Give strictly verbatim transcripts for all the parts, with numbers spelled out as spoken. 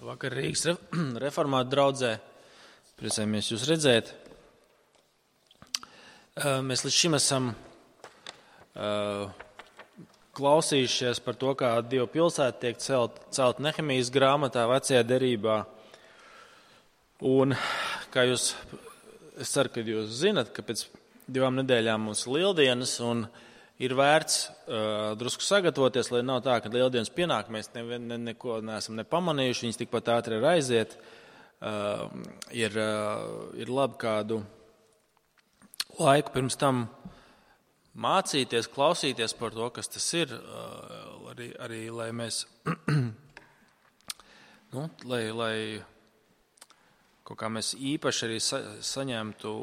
Labvakar, Rīgas reformātu draudzē. Priecājamies jūs redzēt. Mēs līdz šim esam klausījušies par to, kā Dieva pilsēta tiek celt, celt Nehemijas grāmatā, vecajā derībā. Un kā jūs, es ceru, ka jūs zinat, ka pēc divām nedēļām mums ir lieldienas un ir vērts uh, drusku sagatavoties, lai nav tā, ka lieldienas pienāk, mēs ne, ne, neko neesam nepamanījuši, viņas tikpat ātri ir aiziet. Uh, ir, uh, ir labi kādu laiku pirms tam mācīties, klausīties par to, kas tas ir, uh, arī, arī lai mēs, nu, lai, lai kaut kā mēs īpaši arī sa, saņemtu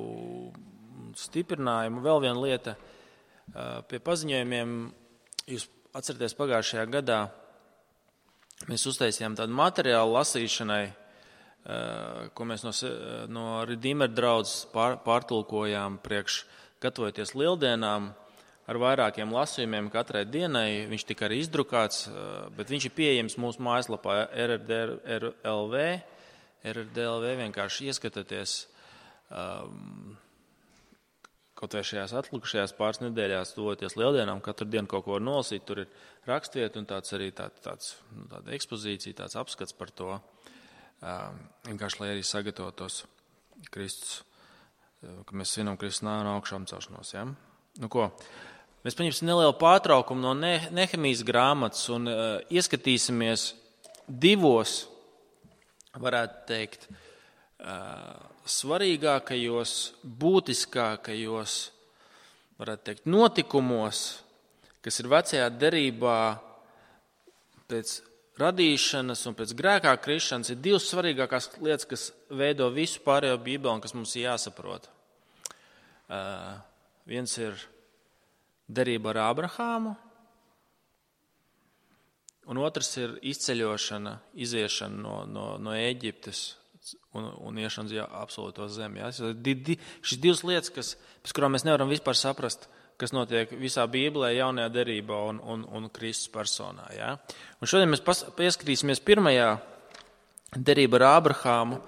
stiprinājumu. Vēl viena lieta. Pie paziņojumiem, jūs atceraties, pagājušajā gadā mēs uztaisījām tādu materiālu lasīšanai, ko mēs no, no Redeemer draudzes pār, pārtulkojām priekš gatavoties lieldienām ar vairākiem lasījumiem katrai dienai. Viņš tika arī izdrukāts, bet viņš ir pieejams mūsu mājaslapā R R D L V. R R D L V vienkārši ieskatieties. Um, Kaut vai šajās atlikušajās pāris nedēļās tuvoties lieldienām, katru dienu kaut ko var nolasīt, tur ir rakstvieta un tāds arī tā, tāds, nu, tāda ekspozīcija, tāds apskats par to, um, vienkārši, lai arī sagatavotos Kristus, ka mēs svinam Kristus nāvi un augšām celšanos. Ja? Nu ko, mēs paņemsim nelielu pārtraukumu no ne- Nehemijas grāmatas un uh, ieskatīsimies divos, varētu teikt, uh, svarīgākajos, būtiskākajos, varētu teikt, notikumos, kas ir vecajā derībā pēc radīšanas un pēc grēkā krišanas, ir divas svarīgākās lietas, kas veido visu pārējo Bībeli un kas mums ir jāsaprot. Uh, viens ir derība ar Ābrahāmu, un otrs ir izceļošana, iziešana no, no, no Ēģiptes. Un, un iešana uz absolūto zemi. Ja? Šis divas lietas, kas, pēc kurām mēs nevaram vispār saprast, kas notiek visā Bībelē, jaunajā derībā un, un, un Kristus personā. Ja? Un šodien mēs pas, pieskatīsimies pirmajā derība ar Ābrahāmu,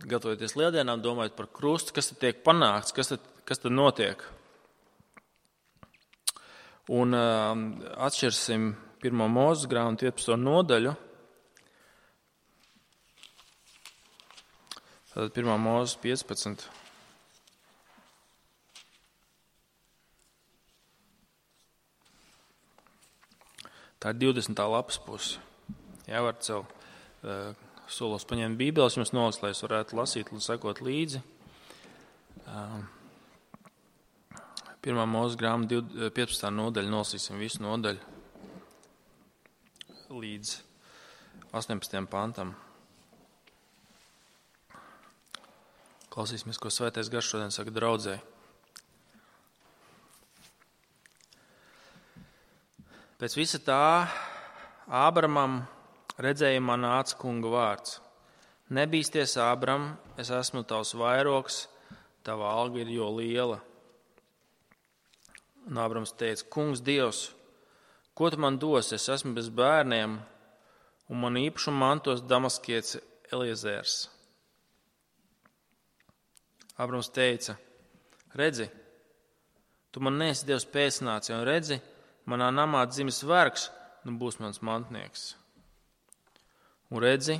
gatavoties lieldienām, domājot par krustu, kas tad tiek panākts, kas tad, kas tad notiek. Un um, atšķirsim pirmo Mūzes grāmatu piecpadsmito nodaļu. Tātad pirmā Mūzes piecpadsmit. Tā ir divdesmitā lapas puse. Jā, var sev uh, solos paņemt Bībeles, jums nolas, lai es varētu lasīt un sekot līdzi. Uh, pirmā Mūzes grāmata piecpadsmitā nodaļa, nolasīsim visu nodaļu līdz astoņpadsmitajam pantam. Klausīsimies, ko Svētais Gars šodien saka draudzē. Pēc visa tā Ābramam redzējumā nāca Kunga vārds. Nebīsties, Ābram, es esmu tavs vairogs, tava alga ir jo liela. Un Ābrams teica, Kungs Dievs, ko tu man dos? Es esmu bez bērniem, un man īpašumu mantos Damaskietis Eliezers. Ābrams teica, redzi, tu man neesi Dievs pēcnāci, un redzi, manā namā dzimis vergs, nu būs mans mantnieks. Un redzi,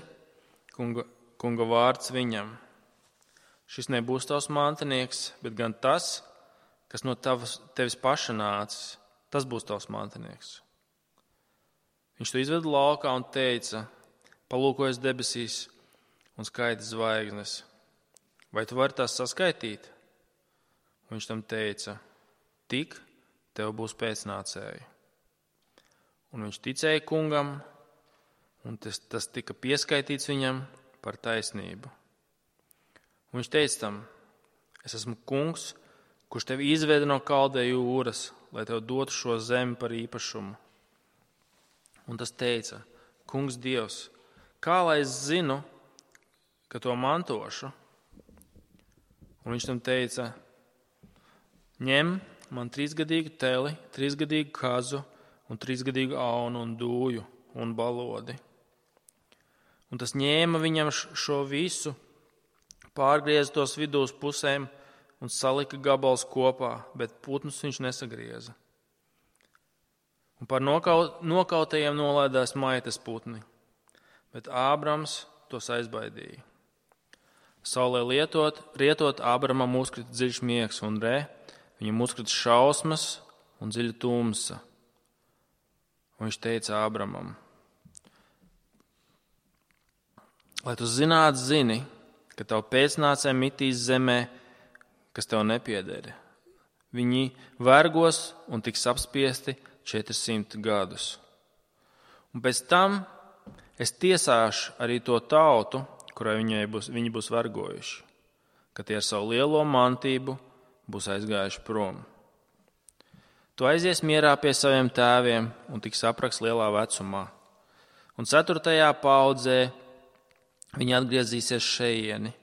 kunga, kunga vārds viņam. Šis nebūs tavs mantnieks, bet gan tas, kas no tavas, tevis paša nācis, tas būs tavs mantnieks. Viņš to izveda laukā un teica, palūkojies debesīs un skaiti zvaigznes. Vai tu vari tās saskaitīt? Un viņš tam teica, tik tev būs pēcnācēji. Un viņš ticēja kungam, un tas, tas tika pieskaitīts viņam par taisnību. Un viņš teica tam, es esmu kungs, kurš tevi izveda no Kaldeju jūras, lai tev dotu šo zemi par īpašumu. Un tas teica, kungs Dievs, kā lai es zinu, ka to mantošu? Un viņš tam teica, ņem man trīsgadīgu teli, trīsgadīgu kazu un trīsgadīgu aunu un dūju un balodi. Un tas ņēma viņam šo visu, pārgrieza tos vidū uz pusēm un salika gabals kopā, bet putnus viņš nesagrieza. Un par nokaut, nokautajiem nolaidās maitas putni, bet Ābrams tos aizbaidīja. Saulē lietot, rietot, Ābramam uzkrita dziļš miegs, un re, viņam uzkrita šausmas un dziļa tumsa. Un viņš teica Ābramam: lai tu zinātu, zini, ka tavu pēcnācēji mitīs zemē, kas tev nepieder. Viņi vergos un tiks apspiesti četrsimt gadus. Un pēc tam es tiesāšu arī to tautu, kurai būs, viņi būs vergojuši, ka tie ar savu lielo mantību būs aizgājuši prom. Tu aizies mierā pie saviem tēviem un tiks apraks lielā vecumā. Un ceturtajā paudzē viņi atgriezīsies šejieni,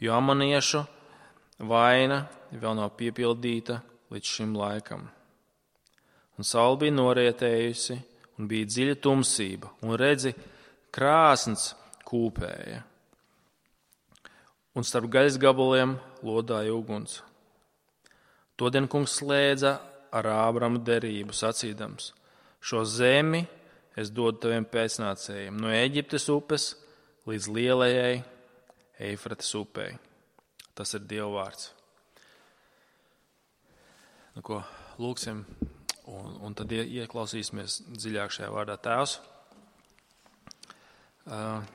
jo amoniešu vaina vēl nav piepildīta līdz šim laikam. Un saule bija norietējusi, un bija dziļa tumsība, un redzi, krāsns kūpēja. Un starp gaļas gabaliem lodāja uguns. Todien kungs slēdza ar Ābramu derību, sacīdams: šo zemi es dodu taviem pēcnācējiem, no Ēģiptes upes līdz lielajai Eifrates upei. Tas ir Dieva vārds. Nu, ko lūksim, un, un tad ieklausīsimies dziļāk šajā vārdā. Tēvs, uh,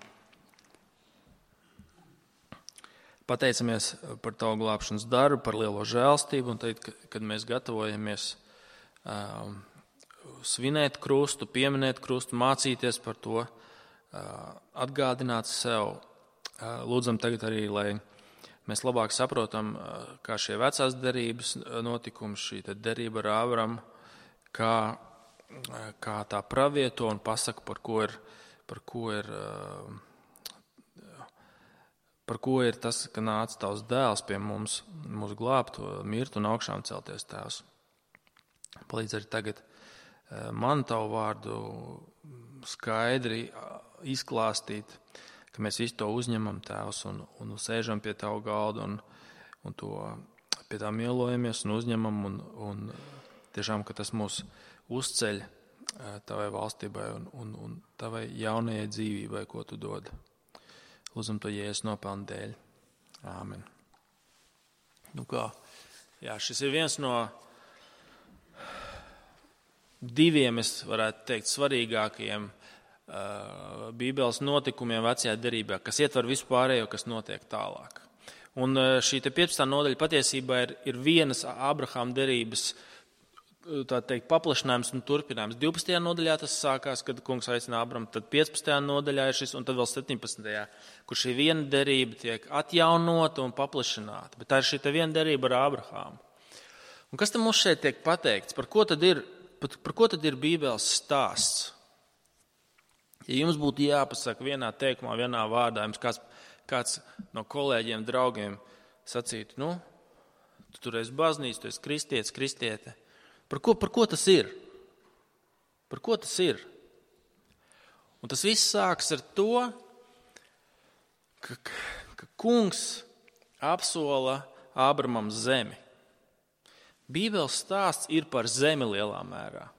pateicamies par tavu glābšanas darbu, par lielo žēlstību, un tad, kad mēs gatavojamies uh, svinēt krustu, pieminēt krustu, mācīties par to, uh, atgādināt sev. Uh, lūdzam tagad arī, lai mēs labāk saprotam, kā šie vecās derības notikumi, šī derība ar Ābramu, kā, kā tā pravieto un pasaka, par ko ir, par ko ir, par ko ir tas, ka nāca tavs dēls pie mums, mūs glābt, mirt un augšām celties, Tēvs. Palīdz arī tagad man tavu vārdu skaidri izklāstīt, ka mēs visu to uzņemam, Tēvs, un, un sēžam pie tavu galda un, un to pie tā mielojamies un uzņemam, un, un tiešām, ka tas mūs uzceļ tavai valstībai un, un, un tavai jaunajai dzīvībai, ko tu dod. Lūdzam to Jēzus nopelnu dēļ. Āmen. Nu kā, jā, šis ir viens no diviem, es varētu teikt, svarīgākajiem Bībeles notikumiem vecajā derībā, kas ietver visu pārējo, kas notiek tālāk. Un šī te piecpadsmitā nodaļa patiesībā ir, ir vienas Ābrahama derības, tā teikt, paplašinājums un turpinājums. divpadsmitajā nodaļā tas sākās, kad kungs aicina Ābramu, tad piecpadsmitajā nodaļā ir šis, un tad vēl septiņpadsmitajā, kur šī viena derība tiek atjaunota un paplašināta. Bet tā ir šī te viena derība ar Ābrahāmu. Un kas tam mums šeit tiek pateikts? Par ko tad ir, par, par ko tad ir Bībeles stāsts? Ja jums būtu jāpasaka vienā teikumā, vienā vārdā, jums kāds, kāds no kolēģiem, draugiem sacītu, nu, tu tur esi baznīca, tu esi kristietis, kristiete. Par ko, par ko tas ir? Par ko tas ir? Un tas viss sāks ar to, ka, ka kungs apsola Ābramam zemi. Bībeles stāsts ir par zemi lielā mērā.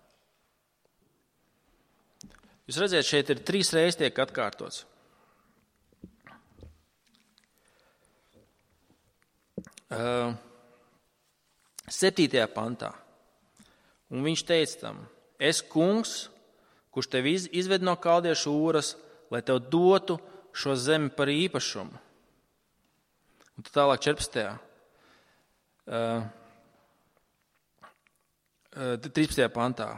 Jūs redzat, šeit ir trīs reizes tiek atkārtots. Uh, septītajā pantā. Un viņš teica tam: es kungs, kurš tevi izved no kaldiešu Ūras, lai tev dotu šo zemi par īpašumu. Un tad tālāk četrpadsmitajā. Uh, uh, trīspadsmitajā pantā.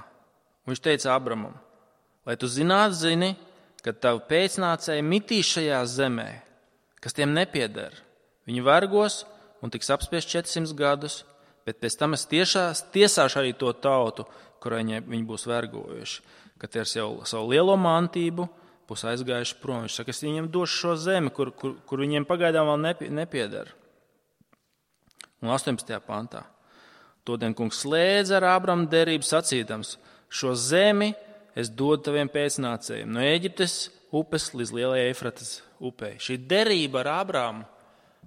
Un viņš teica Ābramam: lai tu zinātu, zini, ka tavi pēcnācēji mitīs šajā zemē, kas tiem nepieder. Viņi vergos un tiks apspiest četrsimt gadus, bet pēc tam es tiešās, tiesāšu arī to tautu, kurai viņi būs vergojuši, ka tie ar savu, savu lielo mantību būs aizgājuši prom. Viņš saka, es viņiem došu šo zemi, kur, kur, kur viņiem pagaidām vēl nepieder. Un astoņpadsmitajā pantā. Todien kungs slēdza ar Ābramu derību sacīdams: šo zemi es dodu taviem pēcnācējiem, no Ēģiptes upes līdz lielajai Eifratas upei. Šī derība ar Ābrāmu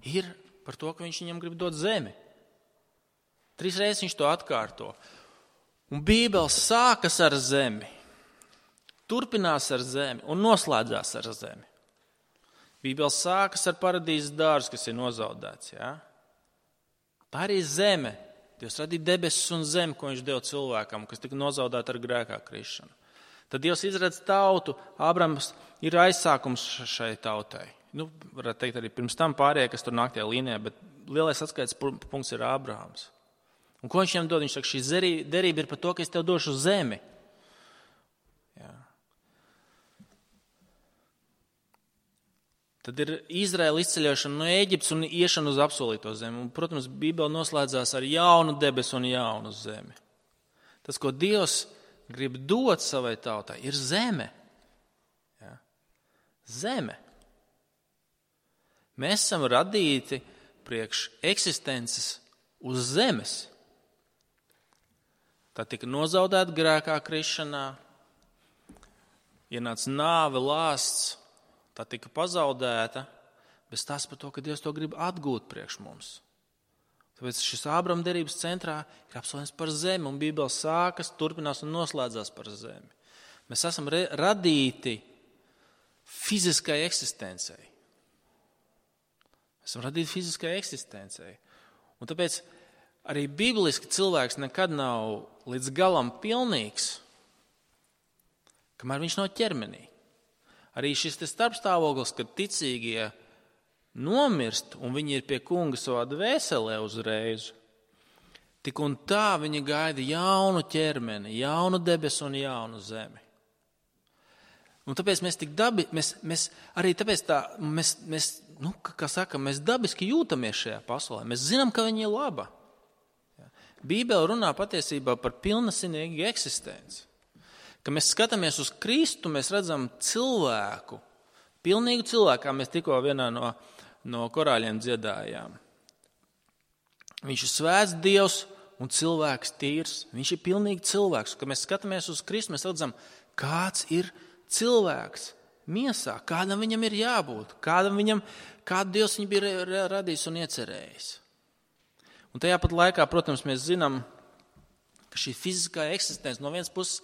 ir par to, ka viņš viņam grib dot zemi. Trīs reizes viņš to atkārto. Un Bībele sākas ar zemi, turpinās ar zemi un noslēdzās ar zemi. Bībele sākas ar paradīzes dārzu, kas ir nozaudēts. Ja? Tā arī zeme. Dievs radīja debesis un zemi, ko viņš deva cilvēkam, kas tika nozaudēta ar grēkā krišanu. Tad Dievs izredz tautu, Ābrams ir aizsākums šai tautai. Nu, varētu teikt arī pirms tam pārējie, kas tur nāk tajā līnijā, bet lielais atskaites punkts ir Ābrāms. Un ko viņš viņam dod? Viņš saka, šī derība ir par to, ka es tev došu zemi. Jā. Tad ir Izraēla izceļošana no Ēģiptes un iešana uz apsolīto zemi. Un, protams, Bībele noslēdzās ar jaunu debesu un jaunu zemi. Tas, ko Dievs grib dot savai tautai, ir zeme. Ja? Zeme. Mēs esam radīti priekš eksistences uz zemes. Tā tika nozaudēta grēkā krišanā, ienāca nāve, lāsts, tā tika pazaudēta, bet tas par to, ka Dievs to grib atgūt priekš mums. Tāpēc šis Ābrama derības centrā ir apsolījums par zemi, un Bībele sākas, turpinās un noslēdzās par zemi. Mēs esam re- radīti fiziskai eksistencei. Mēs esam radīti fiziskai eksistencei. Un tāpēc arī bibliski cilvēks nekad nav līdz galam pilnīgs, kamēr viņš nav ķermenī. Arī šis te starpstāvoklis, kad ticīgie nomirst, un viņi ir pie kunga savā dvēselē uzreiz, tik un tā viņi gaida jaunu ķermeni, jaunu debesu un jaunu zemi. Un tāpēc mēs tik dabi, mēs, mēs arī tāpēc tā, mēs, mēs, nu, kā saka, mēs dabiski jūtamies šajā pasaulē. Mēs zinām, ka viņa ir laba. Bībele runā patiesībā par pilnasinīgu eksistenci. Kad mēs skatāmies uz Kristu, mēs redzam cilvēku, pilnīgu cilvēku, kā mēs tikko vienā no no korāļiem dziedājām. Viņš ir svēts Dievs un cilvēks tīrs. Viņš ir pilnīgi cilvēks. Kad mēs skatāmies uz Kristu, mēs redzam, kāds ir cilvēks miesā, kādam viņam ir jābūt, kādam viņam, kādu Dievs viņu bija radījis un iecerējis. Un tajā pat laikā, protams, mēs zinām, ka šī fiziskā eksistence no vienas puses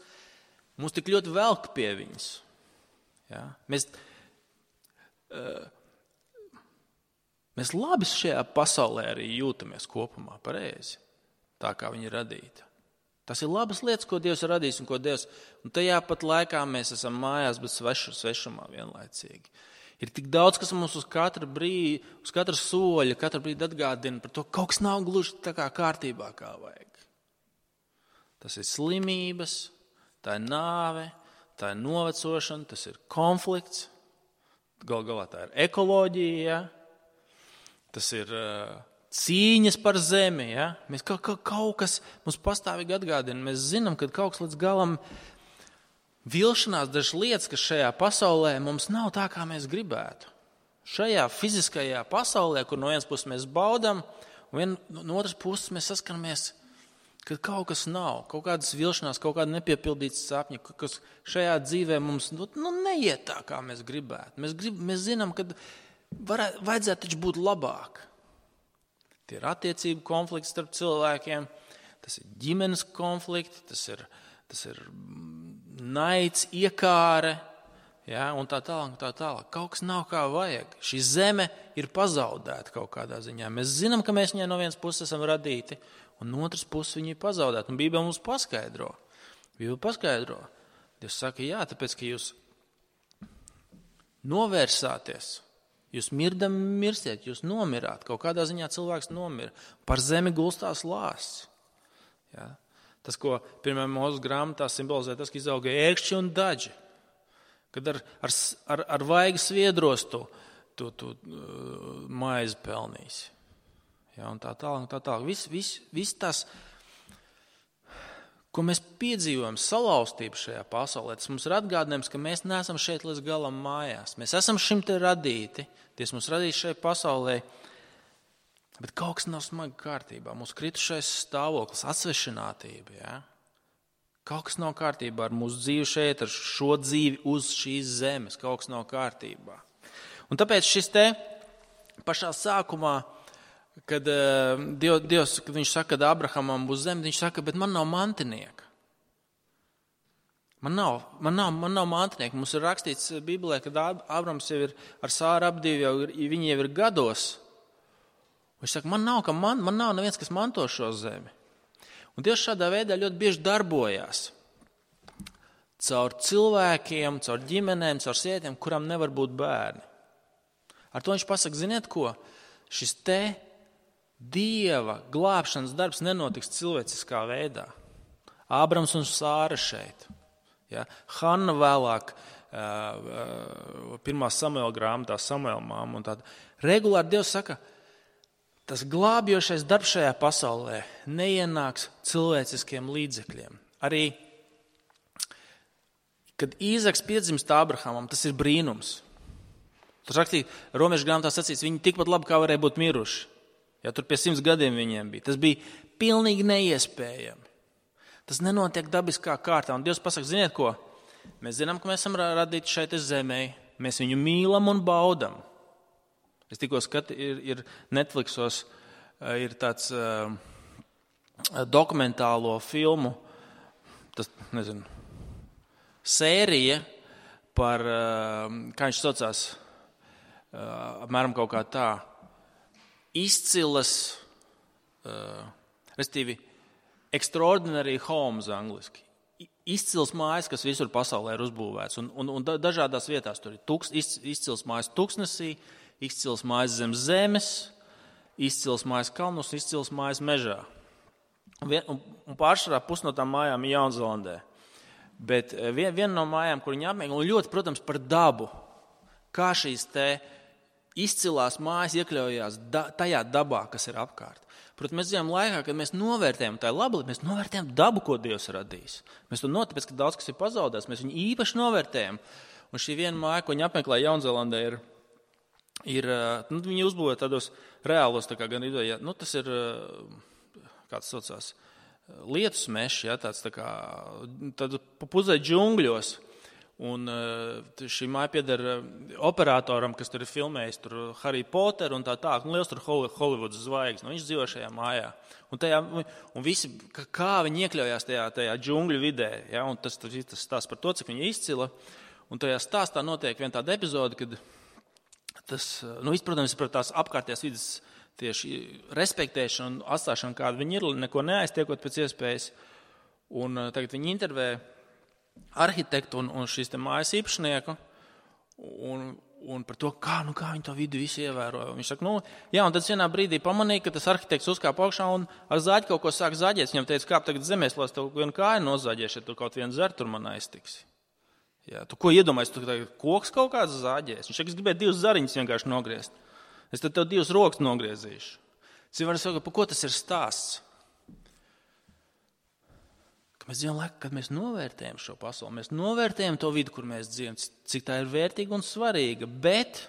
mūs tik ļoti velk pie viņas. Ja? Mēs... Uh, Mēs labi šajā pasaulē arī jūtamies kopumā pareizi, tā kā viņa ir radīta. Tas ir labas lietas, ko Dievs ir radījis un ko Dievs, un tajā pat laikā mēs esam mājās, bet svešu, svešumā vienlaicīgi. Ir tik daudz, kas mums uz katru brīdi, uz katru soļu, katru brīdi atgādina par to, ka kaut kas nav gluži tā kā kārtībā, kā vajag. Tas ir slimības, tā ir nāve, tā ir novecošana, tas ir konflikts, gal galā tā ir ekoloģija, tas ir uh, cīņas par zemi. Ja? Mēs kaut, kaut, kaut kas mums pastāvīgi atgādina. Mēs zinām, ka kaut kas līdz galam vilšanās dažas lietas, kas šajā pasaulē mums nav tā, kā mēs gribētu. Šajā fiziskajā pasaulē, kur no vienas puses mēs baudam, un vien, no otras puses mēs saskaramies, ka kaut kas nav, kaut kādas vilšanās, kaut kāda nepiepildītas sapņi, kas šajā dzīvē mums nu, nu, neiet tā, kā mēs gribētu. Mēs, grib, mēs zinām, ka varētu, vajadzētu taču būt labāk. Tie ir attiecību konflikti starp cilvēkiem, tas ir ģimenes konflikti, tas ir, tas ir naids, iekāre, ja, un tā tālāk, tā tālāk. Kaut kas nav kā vajag. Šī zeme ir pazaudēta kaut kādā ziņā. Mēs zinām, ka mēs viņai no vienas puses esam radīti, un no otras puses viņa ir pazaudēta. Un Bībele mums paskaidro. Bībele paskaidro. Dievs saka, jā, tāpēc, ka jūs novērsāties. Jūs mirdam mirstiet, jūs nomirāt. Kaut kādā ziņā cilvēks nomira. Par zemi gulstās lāsts. Ja? Tas, ko pirmajā Mūzes grāmatā simbolizē, tas, ka izauga ērkšķi un daži. Kad ar, ar, ar, ar vaigu sviedros tu, tu, tu uh, maizi pelnīs. Ja? Un tā tālāk, tā tālāk. Viss vis, vis tas, ko mēs piedzīvojam, salauztību šajā pasaulē, tas mums ir atgādinājums, ka mēs neesam šeit līdz galam mājās. Mēs esam šim te radīti. Dievs mums radīs šai pasaulē, bet kaut kas nav smagi kārtībā. Mūsu kritušais stāvoklis, atsvešinātība, ja? Kaut kas nav kārtībā ar mūsu dzīvi šeit, ar šo dzīvi uz šīs zemes. Kaut kas nav kārtībā. Un tāpēc šis te pašā sākumā, kad Dievs, kad viņš saka, ka Abrahamam būs zeme, viņš saka, bet man nav mantinieka. Man nav, man nav, man nav mantinieka. Mums ir rakstīts Bībelē, kad Abrams jau ir ar Sāru apdīvi, jau ir, viņi jau ir gados. Viņš saka, man nav, ka man, man nav neviens, kas manto šo zemi. Un Dievs šādā veidā ļoti bieži darbojās. Caur cilvēkiem, caur ģimenēm, caur sievietēm, kurām nevar būt bērni. Ar to viņš pasaka, ziniet ko? Šis te Dieva glābšanas darbs nenotiks cilvēciskā veidā. Ābrams un Sāra šeit. Ja? Hanna vēlāk, pirmā Samuela grāmatā, Samuela māma un tāda. Regulāri Dievs saka, tas glābjošais darbs šajā pasaulē neienāks cilvēciskiem līdzekļiem. Arī, kad Īzaks piedzimst Abrahamam, tas ir brīnums. Tur rakstīja, Romiešu grāmatā sacīts, viņi tikpat labi kā varēja būt miruši. Ja, tur pie simts gadiem viņiem bija. Tas bija pilnīgi neiespējami. Tas nenotiek dabiskā kārtā. Un Dievs pasaka, ziniet ko? Mēs zinām, ka mēs esam radīti šeit zemē. Mēs viņu mīlam un baudam. Es tikko skatu, ir, ir Netflixos, ir tāds uh, dokumentālo filmu, tas, nezinu, sērija par, uh, kā viņš saucās, uh, apmēram kaut kā tā, izcilas, uh, restīvi, extraordinary homes angliski. Izcils mājas, kas visur pasaulē ir uzbūvēts. Un, un, un dažādās vietās tur ir tuks, izcils mājas tuksnesī, izcils mājas zem zemes, izcils mājas kalnos, izcils mājas mežā. Un, un, un pārsvarā pus no tām mājām ir Jaunzēlandē. Bet vien, viena no mājām, kur viņi apmeklē, un ļoti, protams, par dabu, kā šīs te izcilās mājas iekļaujās da, tajā dabā, kas ir apkārt. Protams, mēs dzīvojam laikā, kad mēs novērtējam tā labi, mēs novērtējam dabu, ko Dievs radīs. Mēs to notāpēc, ka daudz kas ir pazaudēts, mēs viņu īpaši novērtējam. Un šī viena māja, ko viņi apmeklē Jaunzēlandē, ir, ir nu, viņi uzbūvē tādos reālos, tā kā gan ideja, nu, tas ir, kāds saucās, lietus mešs, ja, tāds tā kā, tad puzē džungļos. Un šī māja pieder operatoram, kas tur ir filmējis tur Harry Potter un tā tā, un liels tur Hollywoods zvaigznes. Nu, viņš dzīvo šajā mājā. Un, tajā, un visi, kā viņi iekļaujās tajā, tajā džungļu vidē, ja, un tas, tas, tas stāsts par to, cik viņi izcila. Un tajā stāstā notiek viena tāda epizode, kad tas, nu, viss, protams, par tās apkārtējās vidas tieši respektēšanu un atstāšanu, kāda viņi ir, neko neaiztiekot pēc iespējas. Un tagad viņi intervē arhitektu un, un šīs te mājas īpašnieku un, un par to, kā, nu, kā viņi to vidu visu ievēroja. Viņš saka, nu, jā, un tad vienā brīdī pamanīja, ka tas arhitekts uzkāp augšā un ar zāģi kaut ko sāk zāģēt. Viņam teica, kāp tagad zemēs, lai es tev vienu kāju nozāģēšu, ja tu kaut vienu zer tur man aiztiksi. Jā, tu ko iedomājies, tu tagad koks kaut kāds zāģēs? Viņš saka, es gribēju divus zariņus vienkārši nogriezt. Es tad tev divus rokas nogriezīšu. Cilvēks saka, par ko tas ir stāsts? Mēs dzīvojam laikā, kad mēs novērtējam šo pasauli, mēs novērtējam to vidu, kur mēs dzīvojam, cik tā ir vērtīga un svarīga, bet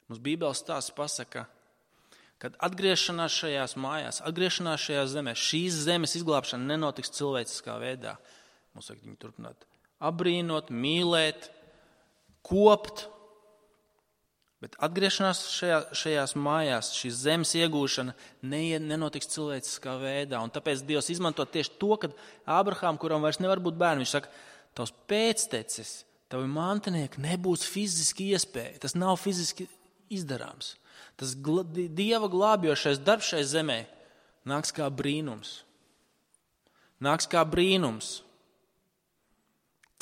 mums Bībeles stāsts pasaka, kad atgriešanās šajās mājās, atgriešanās šajā zemē, šīs zemes izglābšana nenotiks cilvēciskā veidā. Mums vajag viņu turpināt apbrīnot, mīlēt, kopt, bet atgriešanās šajā, šajās mājās, šīs zemes iegūšana nenotiks cilvēciskā veidā. Un tāpēc Dievs izmanto tieši to, kad Ābrahām, kuram vairs nevar būt bērni, viņš saka, tavs pēctecis, tavi mantinieki nebūs fiziski iespēja. Tas nav fiziski izdarāms. Tas gla, Dieva glābjošais darbs šai zemē nāks kā brīnums. Nāks kā brīnums.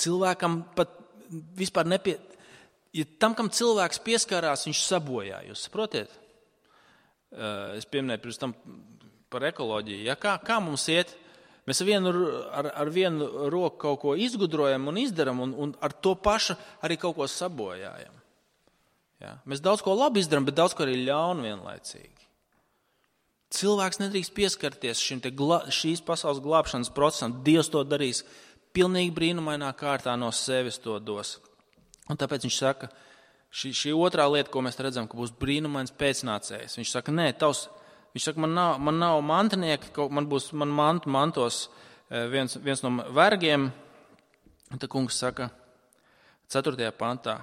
Cilvēkam pat vispār nepie... Ja tam, kam cilvēks pieskārās, viņš sabojā. Jūs saprotiet? Es pieminēju pirms tam par ekoloģiju. Ja? Kā, kā mums iet? Mēs vienu, ar, ar vienu roku kaut ko izgudrojam un izdaram, un, un ar to pašu arī kaut ko sabojājam. Ja? Mēs daudz ko labi izdaram, bet daudz ko arī ļaunu vienlaicīgi. Cilvēks nedrīkst pieskarties šim te gla, šīs pasaules glābšanas procesam. Dievs to darīs pilnīgi brīnumainā kārtā, no sevis to dos. Un tāpēc viņš saka, šī, šī otrā lieta, ko mēs redzam, ka būs brīnumains pēcnācējs. Viņš saka, nē, tavs, viņš saka, man nav, man nav mantinieki, man būs, man mantu mantos viens, viens no vergiem, un tad kungs saka ceturtajā pantā.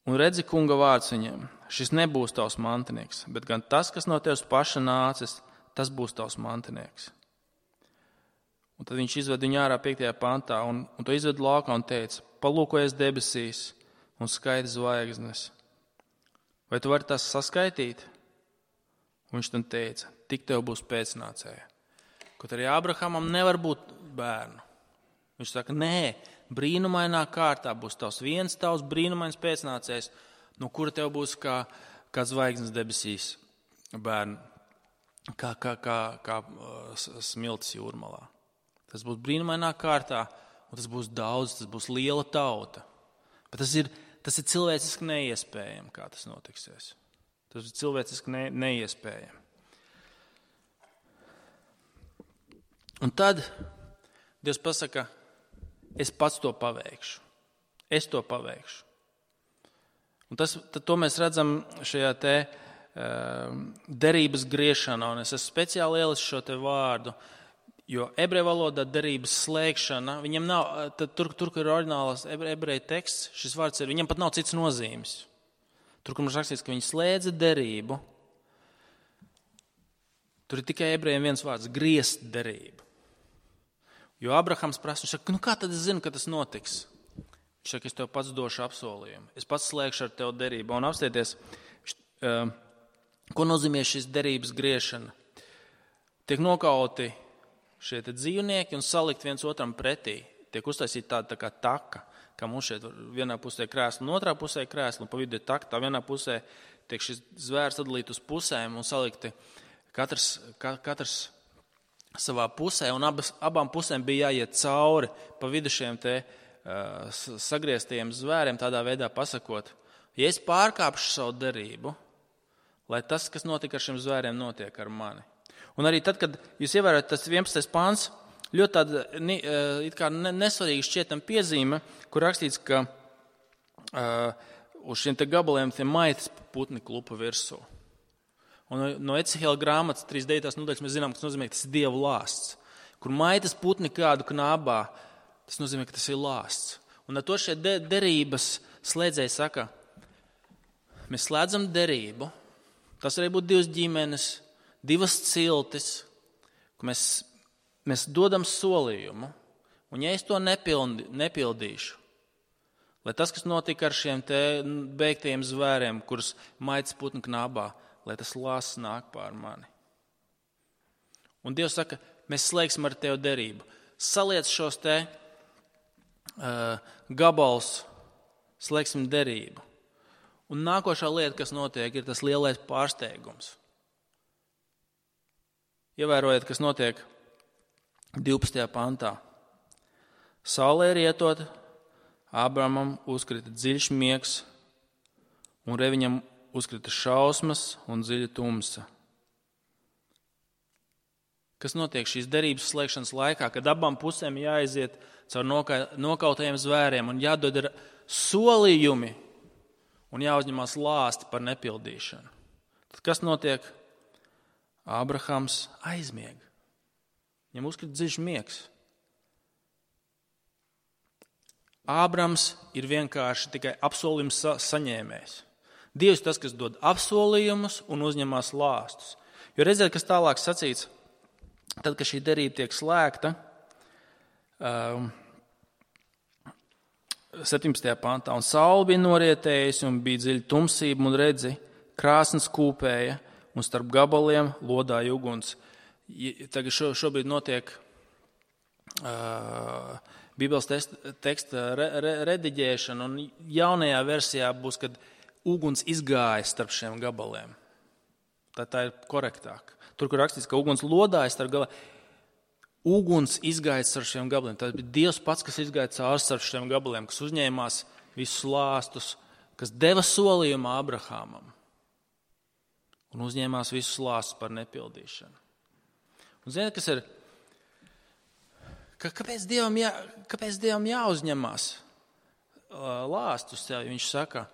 Un redzi kunga vārds viņiem, šis nebūs tavs mantinieks, bet gan tas, kas no tevis paša nācis, tas būs tavs mantinieks. Un tad viņš izved viņu ārā piektajā pantā un, un to izved laukā un teica, palūkojies debesīs un skaiti zvaigznes. Vai tu vari tas saskaitīt? Un viņš tam teica, tik tev būs pēcnācēja. Kaut arī Ābrahamam nevar būt bērnu. Viņš saka, nē, brīnumainā kārtā būs tavs viens tavs brīnumains pēcnācējs, no kura tev būs kā, kā zvaigznes debesīs bērni, kā, kā, kā, kā smiltis jūrmalā. Tas būs brīnumainā kārtā, un tas būs daudz, tas būs liela tauta. Bet tas ir, tas ir cilvēciski neiespējami, kā tas notiksies. Tas ir cilvēciski ne, neiespējami. Un tad Dievs pasaka, es pats to paveikšu. Es to paveikšu. Un tas, to mēs redzam šajā te uh, derības griešanā, un es esmu speciāli ielis šo te vārdu, jo ebreju valodā derības slēgšana, viņam nav, tad tur, tur, kur ir oriģinālās ebreju teksts, šis vārds ir, viņam pat nav cits nozīmes. Tur, kur mums rakstīts, ka viņi slēdza derību, tur ir tikai ebrejiem viens vārds, griezt derību. Jo Abrahams prasa, viņš saka, nu kā tad es zinu, ka tas notiks? Viņš saka, es tev pats došu apsolījumu. Es pats slēgšu ar tev derību. Un apstieties, ko nozīmē šis derības griešana? Tiek nokauti šie te dzīvnieki un salikt viens otram pretī. Tiek uztaisīta tāda tā kā taka, kā mums šeit vienā pusē krēsla un otrā pusē krēsla, un pa vidu ir taka, tā vienā pusē tiek šis zvērs sadalīt uz pusēm un salikti katrs, ka, katrs savā pusē, un abas, abām pusēm bija jāiet cauri pa vidu šiem te uh, sagrieztajiem zvēriem, tādā veidā pasakot, ja es pārkāpšu savu derību, lai tas, kas notika ar šiem zvēriem, notiek ar mani. Un arī tad, kad jūs ievērojat tas vienpadsmitais pāns, ļoti tāda it kā nesvarīga šķietam piezīme, kur rakstīts, ka uh, uz šiem te gabaliem tie maitas putni klupa virsū. Un no Ecihēla grāmatas trīsdesmit devītās nodaļas mēs zinām, ka tas nozīmē, ka tas ir Dieva lāsts. Kur maitas putni kādu knābā, tas nozīmē, ka tas ir lāsts. Un ar to šie de- derības slēdzēji saka, mēs slēdzam derību, tas arī būtu divas ģimenes, divas ciltis, ka mēs, mēs dodam solījumu, un ja es to nepildi, nepildīšu, lai tas, kas notika ar šiem te beigtajiem zvēriem, kurus maitas putni knābā, lai tas lāsts nāk pār mani. Un Dievs saka, mēs slēgsim ar tevi derību. Saliec šos te uh, gabals, slēgsim derību. Un nākošā lieta, kas notiek, ir tas lielais pārsteigums. Ievērojiet, kas notiek divpadsmitajā pantā. Saulē rietot, Ābramam uzkrita dziļš miegs, un reviņam uzkrita šausmas un dziļa tumsa. Kas notiek šīs derības slēgšanas laikā, kad abām pusēm jāaiziet caur nokautajiem zvēriem un jādod ir solījumi un jāuzņemās lāsti par nepildīšanu? Tad kas notiek? Ābrahams aizmieg. Viņam uzkrita dziļš miegs. Ābrams ir vienkārši tikai apsolījums sa- saņēmējs. Dievs tas, kas dod apsolījumus un uzņemās lāstus. Jo redziet, kas tālāk sacīts, tad, kad šī derība tiek slēgta, um, septiņpadsmitajā pantā, un saule bija norietējusi un bija dziļa tumsība un redzi, krāsns kūpēja un starp gabaliem lodāja uguns. Tagad šo, šobrīd notiek uh, Bībeles teksta re, re, rediģēšana, un jaunajā versijā būs, kad uguns izgāja starp šiem gabaliem. Tā, tā ir korektāk. Tur, kur rakstīts, ka uguns lodāja starp gabaliem, uguns izgāja starp šiem gabaliem. Tas bija Dievs pats, kas izgāja cauri starp šiem gabaliem, kas uzņēmās visus lāstus, kas deva solījumu Ābrahamam un uzņēmās visus lāstus par nepildīšanu. Un ziniet, kas ir? Ka, kāpēc, Dievam jā, kāpēc Dievam jāuzņemās lāstus sev? Viņš saka,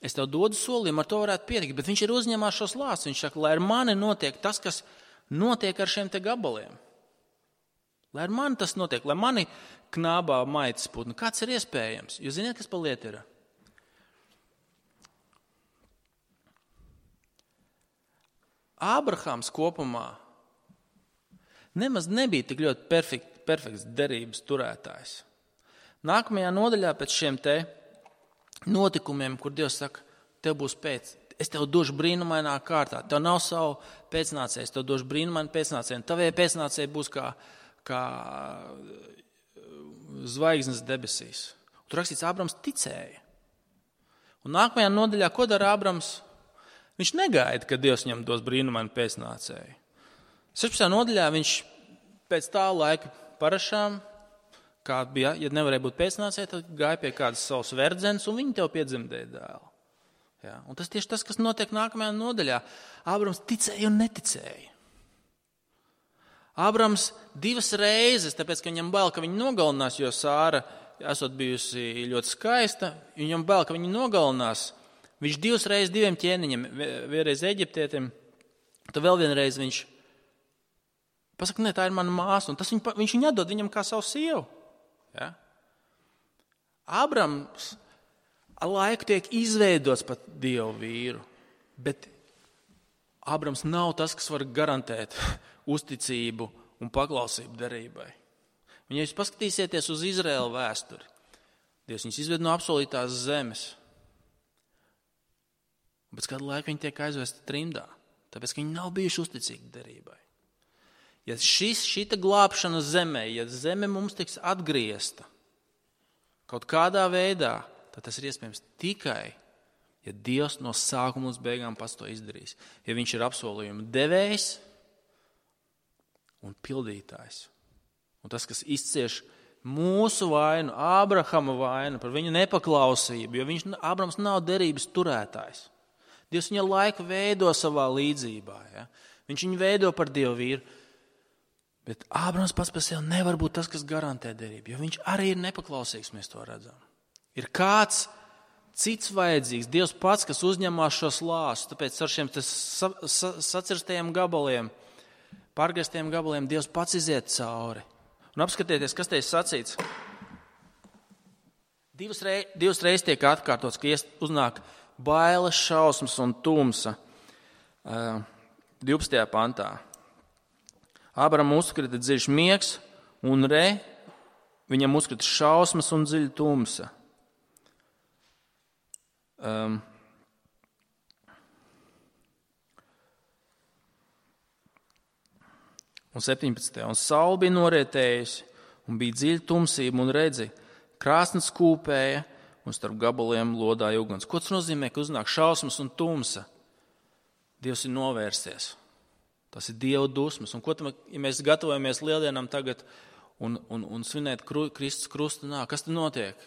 es tev dodu solījumu, ar to varētu pietikt, bet viņš ir uzņemās šos lāstus. Viņš saka, lai ar mani notiek tas, kas notiek ar šiem te gabaliem. Lai ar mani tas notiek, lai mani knābā maitas putnu. Kāds ir iespējams? Jūs zināt, kas pa lietu ir? Ābrahāms kopumā nemaz nebija tik ļoti perfekt, perfekts derības turētājs. Nākamajā nodaļā pēc šiem te notikumiem, kur Dievs saka, tev būs pēc, es tev došu brīnumainā kārtā, tev nav savu pēcnācēju, es tev došu brīnumainu pēcnācēju, un tavie pēcnācēji būs kā, kā zvaigznes debesīs. Tur rakstīts, Ābrams ticēja. Un nākamajā nodaļā, ko dara Ābrams? Viņš negaida, ka Dievs viņam dos brīnumainu pēcnācēju. sešpadsmitajā nodaļā viņš pēc tā laika parašām, kā bija, ja nevarēja būt pēcnācēji, tad gāja pie kādas savas verdzenes, un viņi tev piedzemdēja dēlu. Ja? Un tas tieši tas, kas notiek nākamajā nodaļā. Ābrams ticēja un neticēja. Ābrams divas reizes, tāpēc, ka viņam bail, ka viņu nogalinās, jo Sāra, esot bijusi ļoti skaista, viņam bail, ka viņu nogalinās. Viņš divas reizes diviem ķēniņiem, vienreiz eģiptietim, tad vēl vienreiz viņš pasaka, ne, tā ir mana māsa, un tas viņ, viņš viņu atdod viņam kā savu sievu. Ja? Ābrams ar laiku tiek izveidots pat Dievu vīru, bet Ābrams nav tas, kas var garantēt uzticību un paklausību derībai. Un, ja jūs paskatīsieties uz Izraēlu vēsturi, Dievs viņus izved no apsolītās zemes, un pēc kāda laika viņi tiek aizvesti trimdā, tāpēc, ka viņi nav bijuši uzticīgi derībai. Ja šis, šita glābšana zemē, ja zeme mums tiks atgriezta kaut kādā veidā, tad tas ir iespējams tikai, ja Dievs no sākuma līdz beigām pats to izdarīs. Ja viņš ir apsolījuma devējs un pildītājs. Un tas, kas izcieš mūsu vainu, Ābrahama vainu par viņu nepaklausību, jo viņš, Ābrams nav derības turētājs. Dievs viņa laiku veido savā līdzībā. Ja? Viņš viņu veido par Dievu vīru. Bet Ābrams pats par sevi nevar būt tas, kas garantē derību, jo viņš arī ir nepaklausīgs, mēs to redzam. Ir kāds cits vajadzīgs, Dievs pats, kas uzņemās šo slāstu, tāpēc ar šiem sa, sa, sacirstajiem gabaliem, pārgrieztajiem gabaliem Dievs pats iziet cauri. Un apskatieties, kas te ir sacīts. Divas, rei, divas reizes tiek atkārtots, ka uznāk bailes, šausmas un tumsa. Uh, divpadsmitajā pantā. Ābram uzkrita dziļš miegs, un re, viņam uzkrita šausmas un dziļa tumsa. Um, un septiņpadsmitajā. Un saule bija norietējusi, un bija dziļa tumsība, un redzi, krāsnes kūpēja, un starp gabaliem lodāja uguns. Ko tas nozīmē, ka uznāk šausmas un tumsa? Dievs ir novērsies. Tas ir Dieva dusmas. Un ko tam, ja mēs gatavojamies lieldienām tagad un, un, un svinēt kru, Kristus krusta nāk, kas tad notiek?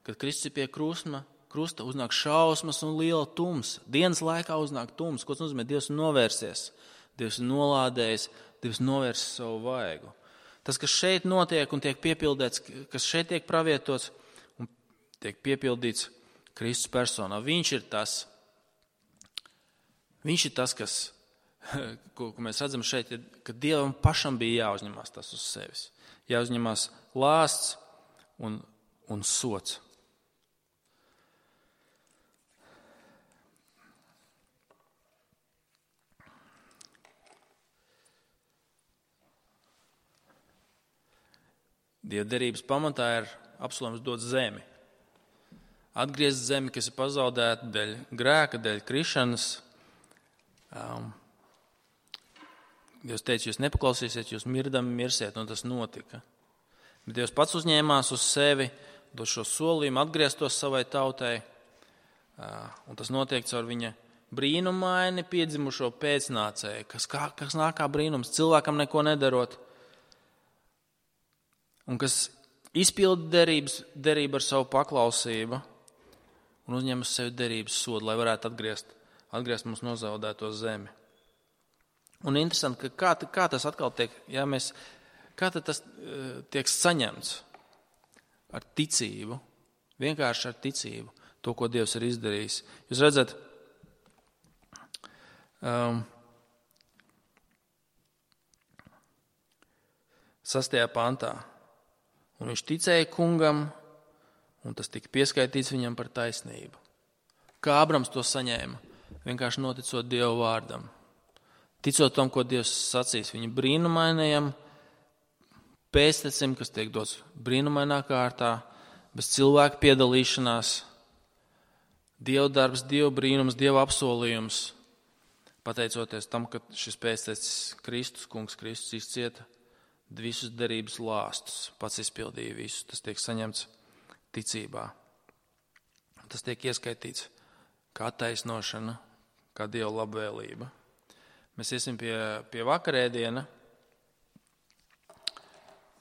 Kad Kristus ir pie krusta, krusta uznāk šausmas un liela tumsa. Dienas laikā uznāk tumsa. Ko tas nozīmē? Dievs ir novērsies. Dievs ir nolādējis. Dievs novērsis savu vaigu. Tas, kas šeit notiek un tiek piepildīts, kas šeit tiek pravietots un tiek piepildīts Kristus personā, viņš ir tas, viņš ir tas, kas Ko, ko mēs redzam šeit, ka Dievam pašam bija jāuzņemās tas uz sevis. Jāuzņemās lāsts un, un sots. Dieva derības pamatā ir apsolījums dot zemi. Atgriezt zemi, kas ir pazaudēta dēļ grēka, dēļ krišanas. Um, Dievs teica, jūs nepaklausīsiet, jūs mirdami mirsiet, un tas notika. Bet Dievs pats uzņēmās uz sevi, dot šo solījumu, atgrieztos savai tautai, un tas notiek caur viņa brīnumaini piedzimušo pēcnācēju, kas, kā, kas nāk kā brīnums, cilvēkam neko nedarot, un kas izpilda derības, derību ar savu paklausību un uzņem uz sevi derības sodu, lai varētu atgriezt, atgriezt mums nozaudēto zemi. Un interesanti, ka kā, kā tas atkal tiek, ja mēs, kā tas uh, tiek saņemts ar ticību, vienkārši ar ticību, to, ko Dievs ir izdarījis. Jūs redzat, um, sastajā pantā. Un viņš ticēja kungam, un tas tika pieskaitīts viņam par taisnību. Kā Abrams to saņēma? Vienkārši noticot Dieva vārdam. Ticot tam, ko Dievs sacīs viņa brīnumainajam pēstecim, kas tiek dots brīnumainā kārtā, bez cilvēka piedalīšanās, Dieva darbs, Dieva brīnums, Dieva apsolījums, pateicoties tam, ka šis pēstecis Kristus, kungs Kristus izcieta visus derības lāstus, pats izpildīja visus, tas tiek saņemts ticībā. Tas tiek ieskaitīts kā taisnošana, kā Dieva labvēlība. Mēs iesim pie, pie vakarēdiena,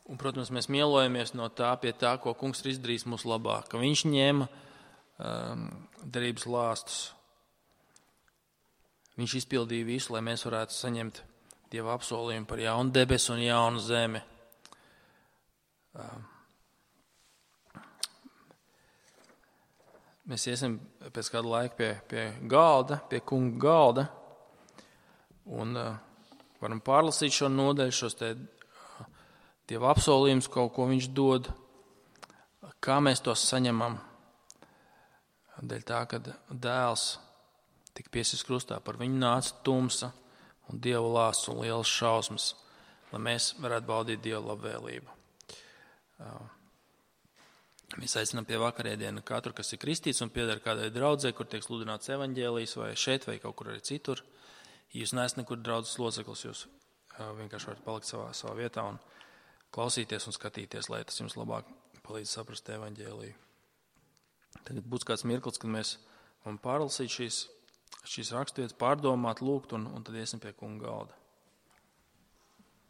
un, protams, mēs mielojamies no tā pie tā, ko kungs ir izdarījis mūsu labā, ka viņš ņēma um, derības lāstus. Viņš izpildīja visu, lai mēs varētu saņemt Dieva apsolījumu par jaunu debesu un jaunu zemi. Um, mēs iesim pēc kāda laika pie, pie galda, pie kunga galda, un uh, varam pārlasīt šo nodaļu, šos te uh, Dieva apsolījumus, kaut ko viņš dod, kā mēs tos saņemam. Dēļ tā, ka dēls tika piesists krustā, par viņu nāca tumsa un Dieva lāsts un lielas šausmas, lai mēs varētu baudīt Dieva labvēlību. Uh, mēs aicinām pie vakarēdiena katru, kas ir kristīts un pieder kādai draudzē, kur tiek sludināts evaņģēlijs vai šeit vai kaut kur arī citur. Ja jūs neesat nekur draudzes loceklis, jūs uh, vienkārši varat palikt savā, savā vietā un klausīties un skatīties, lai tas jums labāk palīdz saprast evaņģēliju. Tagad būs kāds mirklis, kad mēs varam pārlasīt šīs, šīs raksturvietas, pārdomāt, lūgt un, un tad iesim pie kunga galda.